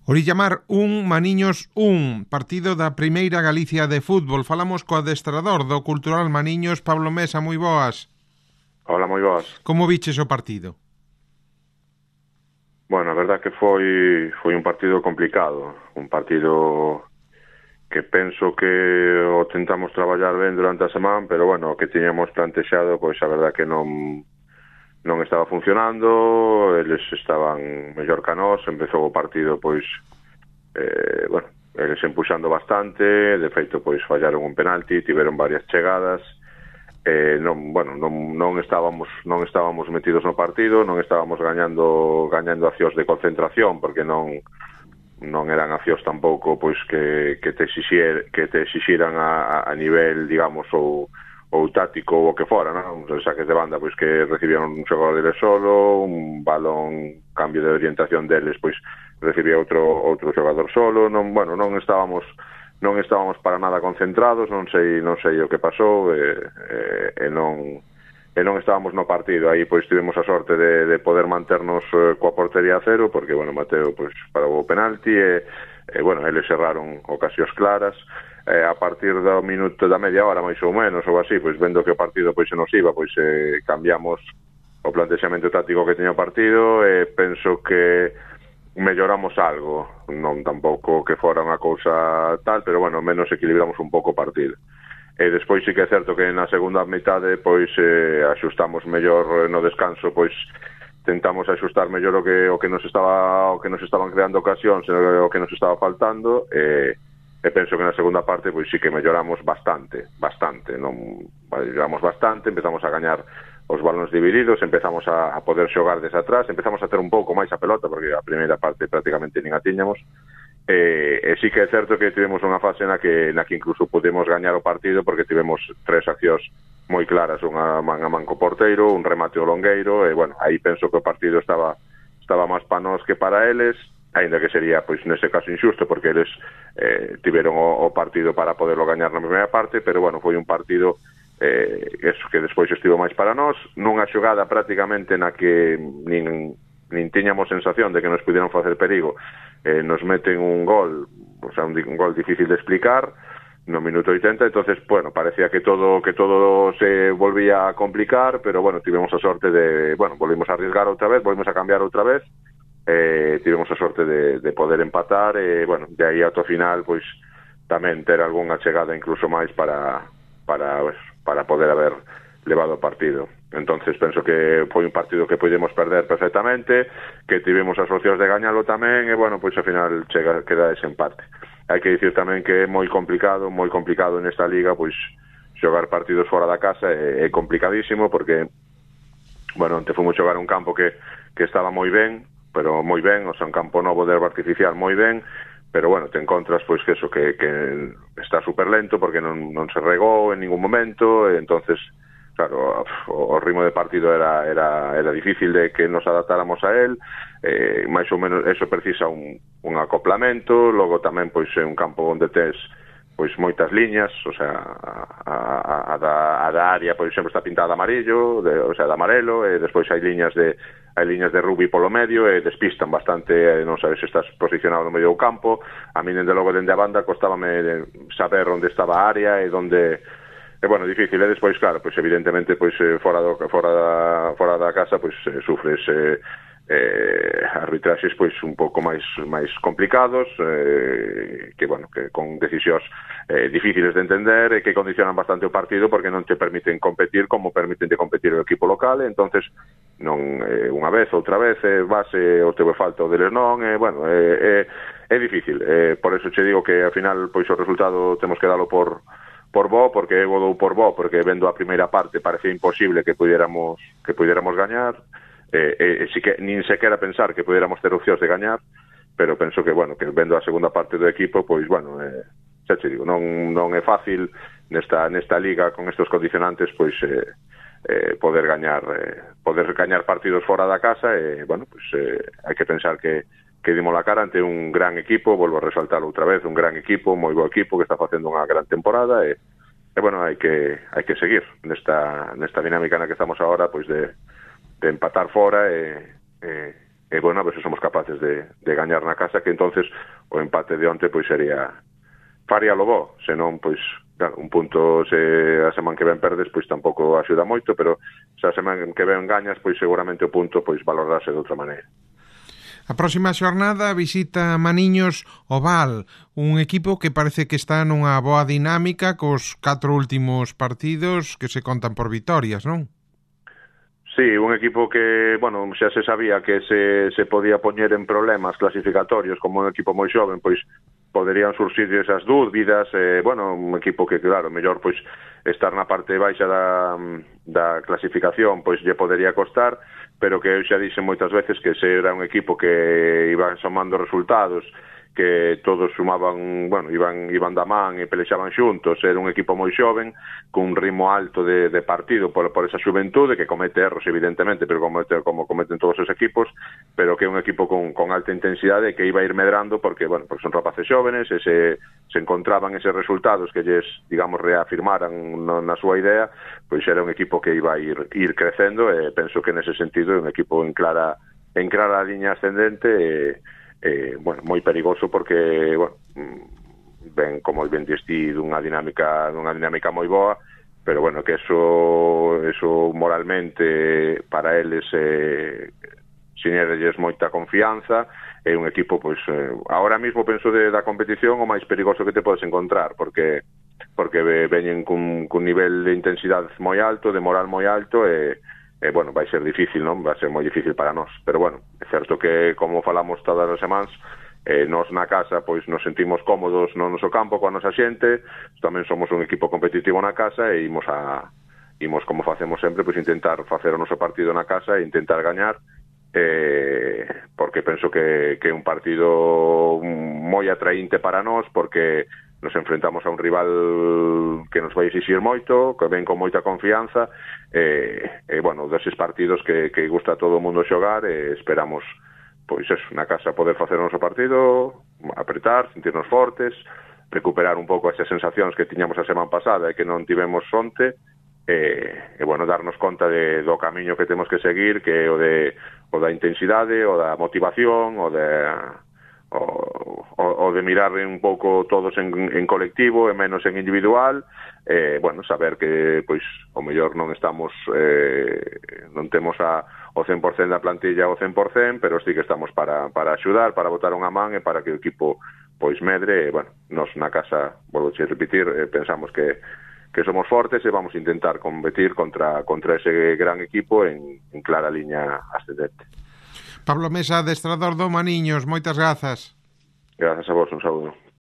Orillamar 1, Maniños 1, partido da Primeira Galicia de fútbol. Falamos co adestrador do Cultural Maniños, Pablo Mesa, moi boas. Hola, moi boas. Como viches o partido? Bueno, a verdad que foi un partido complicado, un partido que penso que o tentamos traballar ben durante a semana, pero bueno, o que tiñamos plantexado, pois a verdad que non estaba funcionando, eles estaban mellor que nós, empezou o partido, pois, bueno, eles empuxando bastante, de feito, pois, fallaron un penalti, tiveron varias chegadas, non estábamos metidos no partido, non estábamos gañando accións de concentración, porque non eran accións tampouco pois que te exixiran a nivel, digamos, ou táctico ou o que fora, non? Os saques de banda pois que recibían un xogador deles solo, un balón, cambio de orientación deles, pois recibía outro xogador solo, non estábamos para nada concentrados, non sei o que pasou, e non estábamos no partido. Aí pois tivemos a sorte de poder manternos coa portería a cero, porque, bueno, Mateo pois parou o penalti e bueno, eles cerraron ocasións claras. A partir do minuto da media hora, máis ou menos, ou así, pois vendo que o partido pois se nos iba, pois cambiamos o plantexamento táctico que teña o partido e penso que melloramos algo, non tampouco que fora unha cousa tal, pero bueno, menos equilibramos un pouco o partido. E despois sí que é certo que na segunda mitade pois axustamos mellor no descanso, pois tentamos axustar mellor o que nos estaban creando ocasións, o que nos estaba faltando, e penso que na segunda parte pois sí que melloramos bastante, melloramos bastante, empezamos a gañar os balóns divididos, empezamos a poder xogar desde atrás, empezamos a ter un pouco máis a pelota, porque a primeira parte prácticamente nin a tiñamos, e sí que é certo que tivemos unha fase na que incluso podemos gañar o partido, porque tivemos 3 accións moi claras, unha man a man co porteiro, un remate ao longueiro, e bueno, aí penso que o partido estaba máis para nós que para eles, aínda que sería, pois, nese caso injusto, porque eles tiveron o partido para poderlo gañar na primeira parte, pero bueno, foi un partido eso que despois estivo máis para nós, nunha xogada prácticamente na que nin tiñamos sensación de que nos pudieran facer perigo, nos meten un gol, o sea, un gol difícil de explicar no minuto 80, entonces, bueno, parecía que todo se volvía a complicar, pero bueno, tivemos a sorte de, bueno, volvimos a arriesgar outra vez, volvimos a cambiar outra vez, tivemos a sorte de poder empatar, e bueno, de aí ata o final, pois tamén ter algunha chegada incluso máis para poder haber levado o partido. Entonces penso que foi un partido que podemos perder perfectamente, que tivemos as opcións de gañalo tamén, e bueno, pois ao final queda ese empate. Hai que dicir tamén que é moi complicado nesta liga, pois xogar partidos fora da casa é complicadísimo, porque bueno, onte fomos xogar un campo que estaba moi ben, pero moi ben, o sea, un campo novo de herba artificial moi ben, pero bueno, te encontras pois que eso, que está super lento porque non se regou en ningún momento, e entonces, claro, o ritmo de partido era difícil de que nos adaptáramos a él, máis ou menos eso precisa un acoplamento, logo tamén pois é un campo onde tes pois moitas liñas, o sea, a da área, por exemplo, está pintada de amarillo, o sea, de amarelo, e despois hai liñas de rugby polo medio, e despistan bastante, non sabes se estás posicionado no medio do campo. A mí, dende logo, dende a banda, costábame saber onde estaba a área e onde... bueno, difícil, e despois, claro, pois evidentemente, pois fora da casa, pois sufres arbitraxes pois un pouco máis complicados, que bueno, que con decisións difíciles de entender e que condicionan bastante o partido, porque non te permiten competir como permiten de competir o equipo local, e entonces non unha vez, outra vez base o teu falta o deles non, bueno, é difícil, por eso che digo que ao final pois o resultado temos que dalo por bo, porque eu dou por bo, porque vendo a primeira parte parecía imposible que pudiéramos gañar, si que nin sequera pensar que pudiéramos ter opcións de gañar, pero penso que, bueno, que vendo a segunda parte do equipo, pois, bueno, xa te digo, non é fácil nesta liga con estes condicionantes, pois, poder gañar partidos fora da casa, e, bueno, pois, hai que pensar que dimos la cara ante un gran equipo, volvo a resaltarlo outra vez, un gran equipo, moi bo equipo, que está facendo unha gran temporada, e bueno, hai que seguir nesta dinámica na que estamos agora, pois de empatar fora e bueno, a ver se somos capaces de gañar na casa, que entonces o empate de onte pois faría lo bo, senón pois claro, un punto se a semana que ven perdes pois tampouco axuda moito, pero se a semana que ven gañas pois seguramente o punto pois valorarse de outra maneira. A próxima xornada visita Maniños o Val, un equipo que parece que está nunha boa dinámica cos 4 últimos partidos que se contan por vitorias, non? Sí, un equipo que, bueno, xa se sabía que se podía poñer en problemas clasificatorios como un equipo moi xoven, pois poderían surxir esas dúbidas, bueno, un equipo que, claro, mellor pois estar na parte baixa da clasificación, pois lle podería costar, pero que eu xa dixen moitas veces que se era un equipo que iban somando resultados, que todos sumaban, bueno, iban da man e pelexaban xuntos, era un equipo moi xoven, cun ritmo alto de partido por esa xuventude, que comete erros evidentemente, pero como cometen todos os equipos, pero que é un equipo con alta intensidade que iba a ir medrando porque, bueno, porque son rapaces xóvenes e se encontraban eses resultados que lles, digamos, reafirmaran na súa idea, pois era un equipo que iba a ir crecendo e penso que nese sentido é un equipo en clara liña ascendente bueno, moi perigoso porque, bueno, ben como ben diste dunha dinámica moi boa, pero bueno, que eso moralmente para eles sinérelles moita confianza, é un equipo, pois, ahora mismo penso da competición o máis perigoso que te podes encontrar, porque veñen cun nivel de intensidade moi alto, de moral moi alto bueno, vai ser difícil, non? Vai ser moi difícil para nós, pero bueno, é certo que como falamos todas as semanas, nós na casa pois nos sentimos cómodos no noso campo coa nosa xente, tamén somos un equipo competitivo na casa e imos como facemos sempre, pois intentar facer o noso partido na casa e intentar gañar, porque penso que é un partido moi atraínte para nós, porque nos enfrentamos a un rival que nos vai exixir moito, que ven con moita confianza, bueno, deses partidos que gusta a todo o mundo xogar, esperamos, pois eso, na casa poder facer o noso partido, apretar, sentirnos fortes, recuperar un pouco esas sensacións que tiñamos a semana pasada e que non tivemos onte, bueno, darnos conta do camiño que temos que seguir, que é o da intensidade, o da motivación, o de mirar un pouco todos en colectivo e menos en individual, bueno, saber que pois o mellor non estamos non temos o 100% da plantilla ao 100%, pero sí que estamos para axudar, para botar unha man e para que o equipo pois medre, bueno, nos na casa, volvo a repetir, pensamos que somos fortes e vamos a intentar competir contra ese gran equipo en clara liña ascendente. Pablo Mesa, adestrador do Maniños, moitas grazas. Grazas a vos, un saúdo.